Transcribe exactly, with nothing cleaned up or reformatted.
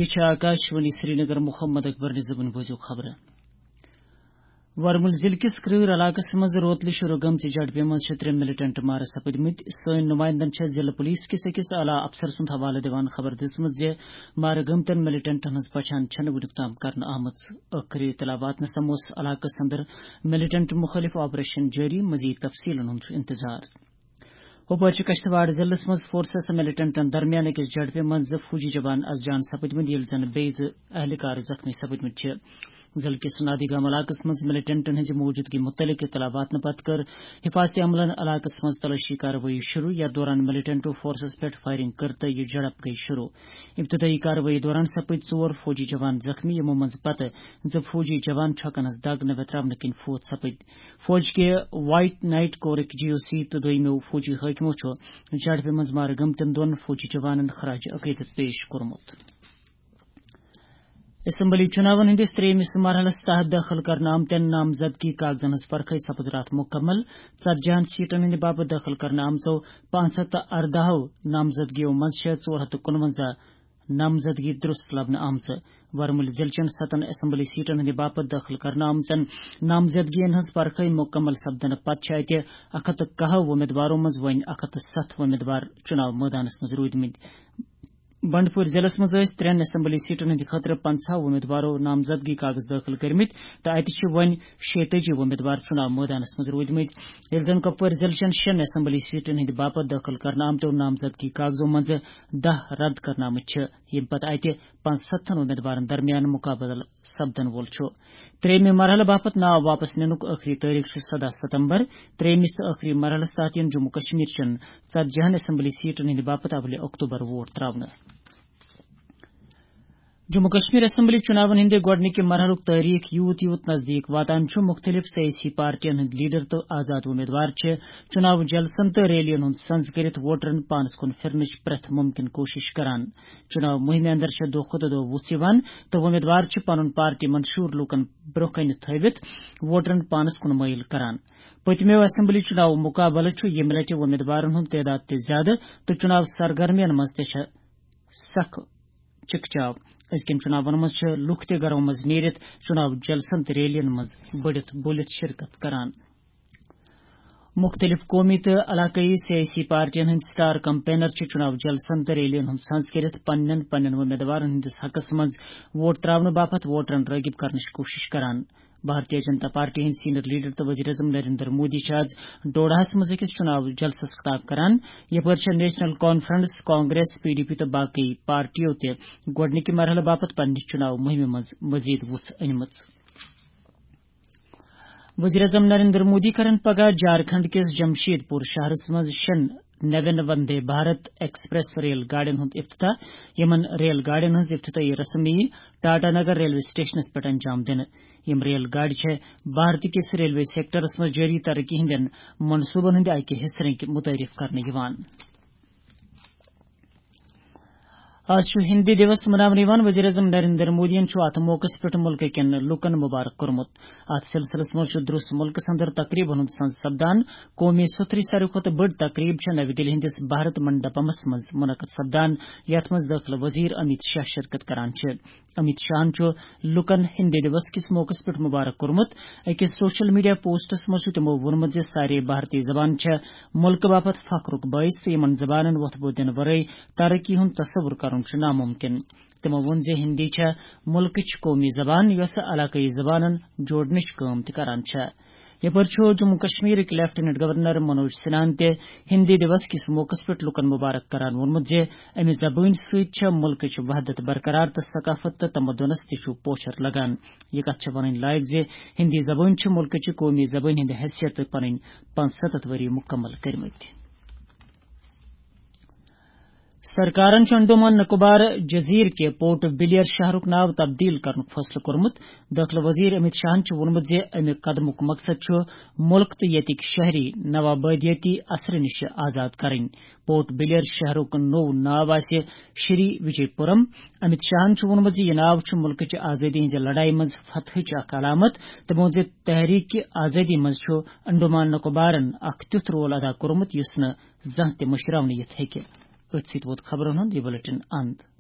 یہِ چھِ آکاشوانی سرینگر۔ محمد اکبر نظامن بوٗزِو خبرٕ۔ ورمُل ضلعہٕ کِس کرۭر علاقس منٛز روتلہِ شروع گٔمژِ جھڑپہِ منٛز چھِ ترٛےٚ ملیٹنٹ مارٕ سپٕدمٕتۍ۔ سٲنۍ نمائندن چھےٚ ضلعہٕ پولیس کِس أکِس اعلیٰ افسر سُنٛد حوالہٕ دِوان خبر دِژمٕژ زِ مارٕ گٔمتٮ۪ن ملیٹنٹن ہٕنٛز پچھان چھَنہٕ وُنیُک تام کرنہٕ آمٕژ۔ ٲخری اطلاع واتنہٕ سمو اوس علاقس اندر ملیٹنٹ مُخٲلف آپریشن جٲری، مزید تفصیلن ہُنٛد چھُ انتظار۔ ہُپٲرۍ چھِ کشتواڑ ضلعس منٛز فورسز تہٕ ملیٹنٹن درمیان أکِس جھڑپہِ منٛز زٕ فوجی جوان از جان سپٕدمٕتۍ، ییٚلہِ زن بیٚیہِ زٕ اہلکار زخمی سپٕدمٕتۍ چھِ۔ ضلعہٕ کِس نادی گام علاقس منٛز ملیٹنٹن ہٕنٛزِ موجودگی مُتعلق اطلاع واتنہٕ پتہٕ کٔر حفاظت عملن علاقس منٛز تلٲشی کاروٲیی شروع، یتھ دوران ملیٹنٹو فورسز پٮ۪ٹھ فائرنگ کٔر تہٕ یہِ جھڑپ گٔیہِ شروع۔ ابتدٲئی کاروٲیی دوران سپٕدۍ ژور فوجی جوان زخمی، یِمو منٛز پتہٕ زٕ فوجی جوان چھۄکنس دگ نہٕ ویتراونہٕ کِنۍ فوت سپٕدۍ۔ فوج کہِ وائٹ نائٹ کورٕکۍ جی او سی تہٕ دوٚیمو فوجی حٲکمو چھُ جھڑپہِ منٛز مارٕ گٔمتٮ۪ن دۄن فوجی جوانن خراج عقیدت پیش کوٚرمُت۔ اسمبلی چُناون ہٕنٛدِس ترٛیٚیمِس مرحلس تحت دٲخل کرنہٕ آمتٮ۪ن نامزدگی کاغذن ہٕنٛز پرکھے سپٕز راتھ مُکمل۔ ژتجی ہن سیٹن ہٕنٛدِ باپتھ دٲخل کرنہٕ آمژو پانٛژھ ہتھ تہٕ ارداہو نامزدگیو منٛز چھےٚ ژور ہتھ تہٕ کُنونزہ نامزدگی درست لبنہٕ آمژٕ۔ ورمُلہِ ضلعہٕ چٮ۪ن ستن اسمبلی سیٹن ہٕنٛدِ باپتھ دٲخل کرنہٕ آمژن نامزدگین ہٕنٛز پرکھے مُکمل سپدنہٕ پتہٕ چھِ اتہِ اکھ ہتھ تہٕ کاہ وۄمیدوارو منٛز وۄنۍ اکھ ہتھ تہٕ ستھ وۄمیدوار چُناو مٲدانس منٛز روٗدمٕتۍ۔ بنڈپور ضلعس منٛز ٲسۍ ترٛٮ۪ن اسمبلی سیٹن ہٕنٛدِ خٲطرٕ پنٛژاہ وۄمیدوارو نامزدگی کاغذ دٲخل کٔرمٕتۍ تہٕ اتہِ چھِ وۄنۍ شیٚیہِ تٲجی وۄمیدوار چُناو مٲدانس منٛز روٗدمٕتۍ۔ ییٚلہِ زن کۄپوٲرۍ ضلعہٕ چٮ۪ن شٮ۪ن اسمبلی سیٹن ہٕنٛدِ باپتھ دٲخل کرنہٕ آمتیو نامزدگی کاغذو منٛزٕ دَہ رد کرنہٕ آمٕتۍ چھِ، ییٚمہِ پتہٕ اتہِ پانٛژستتھن وۄمیدوارن درمیان مُقابلہٕ سپدن وول چھُ۔ ترٛیٚیمہِ مرحلہٕ باپتھ ناو واپس نِنُک ٲخری تٲریخ چھُ سداہ ستمبر۔ ترٛیٚیمِس تہٕ ٲخری مرحلس تحت یِن جموں کشمیر چٮ۪ن ژتجی ہن اسمبلی سیٹن ہٕنٛدِ باپتھ اولہِ اکتوبر ووٹ تراونہٕ۔ جموں کشمیر اسمبلی چُناون ہٕنٛدِ گۄڈٕنِکہِ مرحلُک تٲریخ یوٗت یوٗت نزدیٖک واتان چھُ، مُختٔلِف سیٲسی پارٹین ہٕنٛدۍ لیڈر تہٕ آزاد وۄمیدوار چھِ چُناو جلسن تہٕ ریلین ہُنٛد سنز کٔرِتھ ووٹرن پانس کُن پھِرنٕچ پرٛٮ۪تھ مُمکِن کوٗشش کران۔ چُناو مُہِمہِ اندر چھےٚ دۄہ کھۄتہٕ دۄہ وُژھ یِوان تہٕ وۄمیدوار چھِ پنُن پارٹی منشور لوٗکن برٛونٛہہ کنہِ تھٲوِتھ ووٹرن پانس کُن مٲیِل کران۔ پٔتمیو اسمبلی چُناو مُقابلہٕ چھُ ییٚمہِ لٹہِ وۄمیدوارن ہُنٛد تعداد تہِ زیادٕ تہٕ چُناو سرگرمین منٛز تہِ چھےٚ سخ چکچاو۔ أزکٮ۪ن چُناون منٛز چھِ لُکھ تہِ گرو منٛز نیٖرِتھ چُناو جلسن تہٕ ریلین منٛز بٔڑِتھ بوٗلِتھ شرکت کران۔ مُختٔلِف قومی تہٕ علاقٲیی سیٲسی پارٹین ہٕنٛدۍ سٹار کمپینر چھِ چُناو جلسن تہٕ ریلین ہُنٛد سنز کٔرِتھ پننٮ۪ن پننٮ۪ن وۄمیدوارن ہٕنٛدِس حقس منٛز ووٹ تراونہٕ باپتھ ووٹرن رٲغب کرنٕچ کوٗشش کران۔ بھارتیہ جنتا پارٹی ہٕنٛدۍ سینئر لیڈر تہٕ وزیر اعظم نریندر مودی چھِ آز ڈوڈاہس منٛز أکِس چُناو جلسس خطاب کران۔ یپٲرۍ چھےٚ national conference, Congress, P D P تہٕ باقٕے پارٹیو تہِ گۄڈٕنِکہِ مرحلہٕ باپتھ پننہِ چُناو مُہِمہِ منٛز مزید وُژھ أنمٕژ۔ وزیر اعظم نریندر مودی کرن پگاہ جھارکھنڈ کِس جمشید پور شہرس منٛز شٮ۪ن نوین وندے بھارت ایکسپریس ریل گاڑین ہُنٛد افتتاح۔ یِمن ریل گاڑین ہٕنٛز افتتاحی رسم یِیہِ ٹاٹا نگر ریلوے سٹیشنس پٮ۪ٹھ انجام دِنہٕ۔ یِم ریل گاڑِ چھےٚ بھارت کِس ریلوے سیکٹرس منٛز جٲری ترقی ہٕنٛدٮ۪ن منصوٗبن ہٕنٛدِ اکہِ حصہٕ رٔنٛگۍ مُتعٲرف کرنہٕ یِوان۔ آز چھُ ہِندی دِوس مناونہٕ یِوان۔ وزیر اعظم نریندر مودیَن چھُ اَتھ موقعس پٮ۪ٹھ مُلکہٕ کٮ۪ن لوٗکَن مُبارک کوٚرمُت۔ اَتھ سلسلس منٛز چھُ درٛوس مُلکَس اندر تقریٖبَن ہُنٛد سنز سپدان۔ قومی سوٚتھرٕچ ساروی کھۄتہٕ بٔڑ تقریٖب چھےٚ نَوِ دِلہِ ہٕنٛدِس بھارت منڈپمس منٛز منعقد سپدان، یَتھ منٛز دٲخلہٕ وزیر امیت شاہ شرکت کران چھِ۔ امیت شاہَن چھُ لوٗکَن ہِندی دِوس کِس موقعس پٮ۪ٹھ مُبارک کوٚرمُت۔ أکِس سوشل میڈیا پوسٹس منٛز چھُ تِمَو ووٚنمُت زِ سارے بھارتی زبانہٕ چھےٚ مُلکہٕ باپتھ فخرُک بٲعث تہٕ یِمَن زبانَن وۄتھٕ بوٚد دِنہٕ ورٲے ترقی ہُنٛد تصور کرُن چھُ ناممکن۔ تِمَو ووٚن زِ ہِندی چھےٚ مُلکٕچ قومی زبان، یۄسہٕ علاقٲیی زبانَن جوڑنٕچ کٲم تہِ کران چھےٚ۔ یپٲرۍ چھُ جموں کشمیرٕکۍ لیفٹیننٹ گورنر منوج سنہاہَن تہِ ہِندی دِوس کِس موقعس پٮ۪ٹھ لوٗکَن مُبارک کران ووٚنمُت زِ اَمہِ زبٲنۍ سۭتۍ چھےٚ مُلکٕچ وحدت برقرار تہٕ ثقافت تہٕ تمدنَس تہِ چھُ پوچھر لگان۔ یہِ کَتھ چھےٚ وَنٕنۍ لایق زِ ہِندی زبٲنۍ چھِ مُلکٕچہِ قومی زبٲنۍ ہِنٛدِ حیثیتہٕ پنٕنۍ پانٛژستتھ ؤری مُکمل کٔرمٕتۍ۔ سرکارن چھُ انڈومان نکوبار جزیرٕ کہِ پورٹ بلیر شہرُک ناو تبدیل کرنُک فٲصلہٕ کوٚرمُت۔ دٲخلہٕ وزیر امیت شاہن چھُ ووٚنمُت زِ اَمہِ قدمُک مقصد چھُ مُلک تہٕ ییٚتِکۍ شہری نوآبادیٲتی اثرٕ نِش آزاد کرٕنۍ۔ پورٹ بلیر شہرُک نوٚو ناو آسہِ شری وجے پورم۔ امیت شاہن چھُ ووٚنمُت زِ یہِ ناو چھُ مُلکٕچہِ آزٲدی ہٕنٛزِ لڑایہِ منٛز فتحٕچ اکھ علامت تہٕ ووٚن زِ تحریک آزٲدی منٛز چھُ انڈومان نکوبارن اکھ تیُتھ رول ادا کوٚرمُت یُس نہٕ زانٛہہ تہِ مٔشراونہٕ یِتھ ہیٚکہِ۔ أتھۍ سۭتۍ ووت خبرن ہُنٛد یہِ بلیٹن اند۔